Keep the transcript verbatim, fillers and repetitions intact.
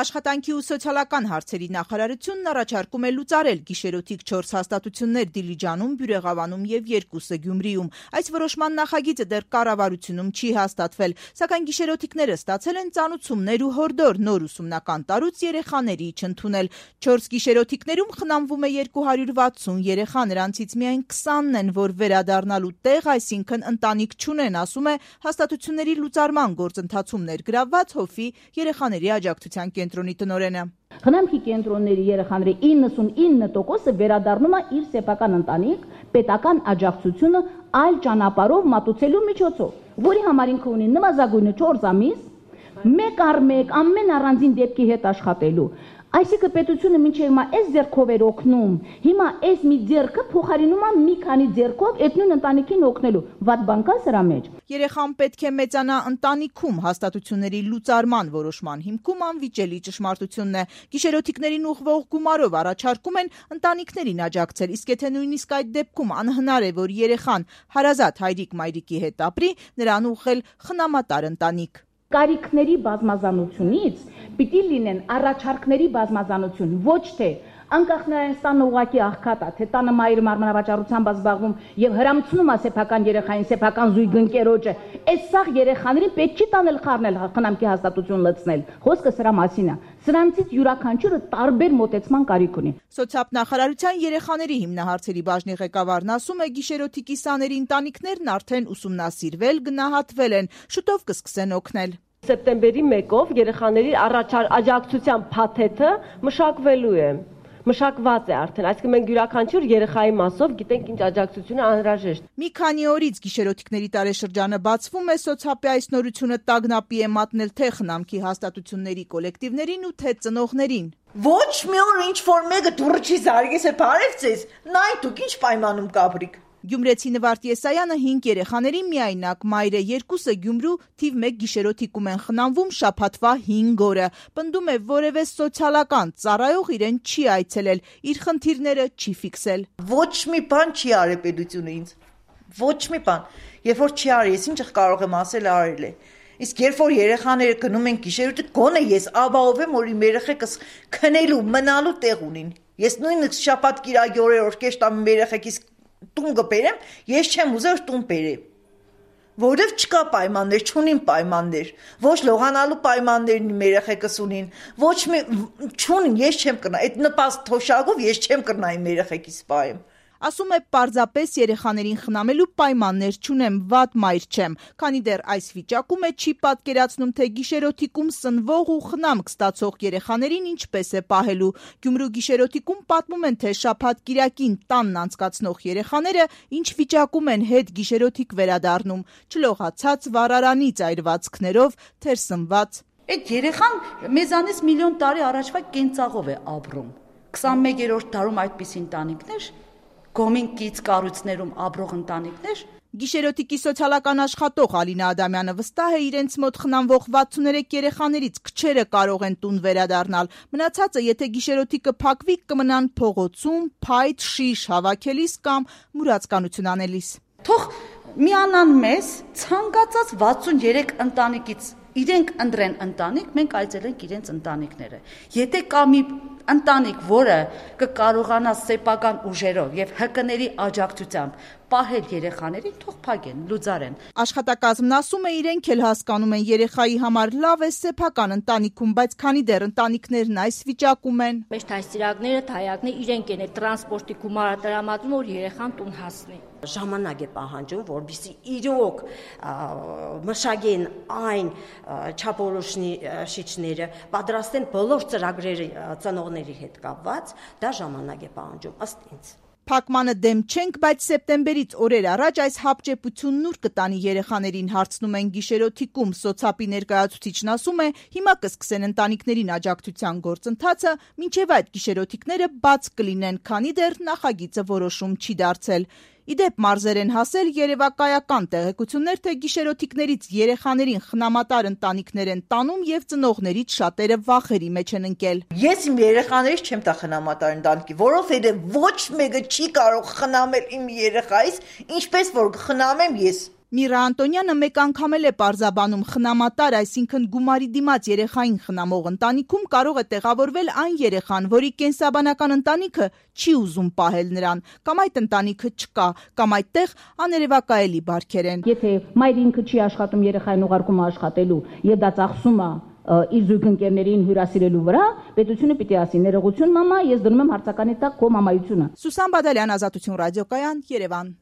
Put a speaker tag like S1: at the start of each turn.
S1: Աշխատանքի ու սոցիալական հարցերի նախարարությունն առաջարկում է լուծարել գիշերօթիկ չորս հաստատություններ Դիլիջանում, Բյուրեղավանում եւ երկուսը Գյումրիում։ Այս որոշման նախագիծը դեռ կառավարությունում չի հաստատվել, սակայն գիշերօթիկները ստացել են ծանուցումներ ու հորդոր նոր ուսումնական տարուց երեխաների չընդունել։ Չորս գիշերօթիկներում խնամվում է երկու հարյուր վաթսուն երեխա, նրանցից միայն քսանն են, որ վերադառնալու տեղ, այսինքն ընտանիք չունեն, ասում է հաստատությունների լուծարման գործընթացում ներգրավված ՀՕՖ-ի երեխաների աջակցության կենտրոնի տնօրենը։
S2: Խնամքի կենտրոնների երեխաների իննսունինը տոկոսը վերադառնում է իր սեփական ընտանիք պետական աջակցությունը այլ ճանապարհով մատուցելու միջոցով, որի համար ինքը ունի նվազագույնը չորս ամիս, մեկ առ մեկ ամեն առանձին դեպքի հետ աշխատելու։ Այսինքն պետությունը մինչև հիմա այս ձեռքով էր օգնում, հիմա այս մի ձեռքը փոխարինում է մի քանի ձեռքով այդ նույն ընտանիքին օգնելու։ Վատ բան կա սրա մեջ։
S1: Երեխան պետք է մեծանա ընտանիքում, հաստատությունների լուծարման որոշման հիմքում անվիճելի ճշմարտությունն է։ Գիշերօթիկներին ուղղվող գումարով առաջարկում են ընտանիքներին աջակցել, իսկ եթե նույնիսկ այդ դեպքում անհնար է, որ երեխան հարազատ հայրիկ-մայրիկի հետ ապրի, նրան ուղղել խնամատար ընտանիք։
S2: Կարիքների բազմազանությունից պիտի լինեն առաջարկների բազմազանություն, ոչ թե անկախ նրանից տանը ուղակի աղքատ է, թե տանը մայրը մարմնավաճառությամբ զբաղվում եւ հրամցնում է սեփական երեխային, սեփական զույգ ընկերոջը, այս սաղ երեխաներին պետք չի տանել խառնել խնամքի հաստատություն լցնել։ Խոսքը սրա մասին է։ Սրանցից յուրաքանչյուրը տարբեր մոտեցման կարիք ունի։
S1: Սոցիալնախարարության երեխաների հիմնահարցերի բաժնի ղեկավարն ասում է, գիշերօթիկի սաների ընտանիքներն արդեն ուսումնասիրվել, գնահատվել են, շուտով կսկսեն օգնել։
S3: Սեպտեմբերի մեկով երեխաների աջակցության փաթեթը մշակվելու է, մշակված է արդեն, այսինքն մենք յուրաքանչյուր երեխայի մասով գիտենք ինչ աջակցություն է անհրաժեշտ։
S1: Մի քանի օրից գիշերօթիկների տարեշրջանը բացվում է, սոցիալի այս նորությունը տագնապի է մատնել թե խնամքի հաստատությունների կոլեկտիվներին ու թե ծնողներին։
S4: Ոչ մի օր ինչ որ մեկը դուրը չի զարգես է բարև ձեզ, նայ դուք ինչ պայմանում կապրիք։
S1: Գյումրեցի Նվարդ Եսայանը հինգ երեխաների միայնակ մայր է, երկուսը Գյումրու թիվ մեկ գիշերօթիկում են խնամվում շաբաթվա հինգ օրը։ Պնդում է, որևէ սոցիալական ծառայող իրեն չի այցելել, իր խնդիրները չի ֆիքսել։
S4: Ոչ մի բան չի արել պետությունը ինձ։ Ոչ մի բան։ Երբ որ չի արել, ես ինչ կարող եմ ասել, արել է։ Իսկ երբ որ երեխաները գնում են գիշերօթիկ, գոնե ես ապահով եմ, որ իմ երեխեքս քնելու, մնալու տեղ ունին։ Ես նույնիսկ շաբաթ կիրակի օրեր օրկեշտ ամ երեխեքիս տուն կբերեմ, ես չեմ ուզել տուն բերեմ, որովհետև չկա պայմաններ, չունին պայմաններ, ոչ լողանալու պայմաններն իմ երեխեքս ունին, ոչ մի չունին, ես չեմ կրնա, այդ նպաստ թոշակով ես չեմ կրնա իմ երեխեքիս պայեմ։
S1: Ասում է պարզապես երեխաներին խնամելու պայմաններ չունեմ, վատ մայր չեմ, քանի դեռ այս վիճակում է չի պատկերացնում, թե գիշերօթիկում սնվող ու խնամք ստացող երեխաներին ինչպես է պահելու։ Գյումրու գիշերօթիկում պատմում են, թե շաբաթ կիրակին տանն անցկացնող երեխաները ինչ վիճակում են հետ գիշերօթիկ վերադառնում, չլողացած վառարանի ծայրվածքներով, թերսնված։
S5: Այդ երեխան մեզանից միլիոն տարի առաջվա կենցաղով է ապրում։ քսանմեկերորդ դարում այդպիսի ընտանիքներ գոմին կից կառույցներում ապրող ընտանիքներ։
S1: Գիշերօթիկի սոցիալական աշխատող Ալինա Ադամյանը վստահ է, իրենց մոտ խնամվող վաթսուներեք երեխաներից քչերը կարող են տուն վերադառնալ։ Մնացածը, եթե գիշերօթիկը փակվի, կմնան փողոցում, փայտ, շիշ հավաքելիս կամ մուրացկանություն անելիս։
S5: Թող միանան մեզ ցանկացած վաթսուներեք ընտանիքից իրենք ընտրեն ընտանիք, մենք այցելենք իրենց ընտանիքները։ Եթե կա մի ընտանիք, որը կկարողանա սեփական ուժերով եւ ՀԿ-ների աջակցությամբ պահել երեխաներին, թող փակեն, լուծարեն։
S1: Աշխատակազմն ասում է, իրենք էլ հասկանում են երեխայի համար լավ է սեփական ընտանիքում, բայց քանի դեռ ընտանիքներն այս վիճակում են։
S6: Մեր թայսիրակները, թայակները իրենք են տրանսպորտի գումարը տրամադրում, որ երեխան տուն հասնի։
S7: Ժամանակ է պահանջում, որպեսզի իրոք մշակեն այն չափորոշիչները, պատրաստեն բոլոր ծրագրերը ծնողների հետ կապված, դա ժամանակ է պահանջում ըստ ինձ։
S1: Փակմանը դեմ չենք, բայց սեպտեմբերից օրեր առաջ այս հապճեպությունն ուր կտանի երեխաներին, հարցնում են գիշերօթիկում։ Սոցիալի ներկայացուցիչն ասում է, հիմա կսկսեն ընտանիքներին աջակցության գործընթացը, մինչև այդ գիշերօթիկները բաց կլինեն, քանի դեռ նախագիծը որոշում չի դարձել։ Իդեպ մարզեր են հասել երևակայական տեղեկություններ, թե գիշերօթիկներից երեխաներին խնամատար ընտանիքներ են տանում եւ ծնողներից շատերը վախերի մեջ են ընկել։
S4: Ես իմ երեխաներից չեմ տա խնամատար ընտանիքի, որովհետեւ ոչ մեկը չի կարող խնամել իմ երեխայից, ինչպես որ խնամեմ ես։
S1: Միրա Անտոնյանը մեկ անգամ էլ է պարզաբանում խնամատար, այսինքն գումարի դիմաց երեխային խնամող ընտանիքում կարող է տեղավորվել այն երեխան, որի կենսաբանական ընտանիքը չի ուզում պահել նրան, կամ այդ ընտանիքը չկա, կամ այդտեղ աներևակայելի բարքեր են։
S2: Եթե մայրը ինքը չի աշխատում, երեխային ուղարկում աշխատելու եւ դա ծախսում է իր զույգընկերներին հյուրասիրելու վրա, պետությունը պիտի ասի ներողություն մամա, ես դնում եմ հարցականի տակ քո մամայությունը։
S1: Սուսան Բադալյան, Ազատություն ռադիոկայան, Երևան։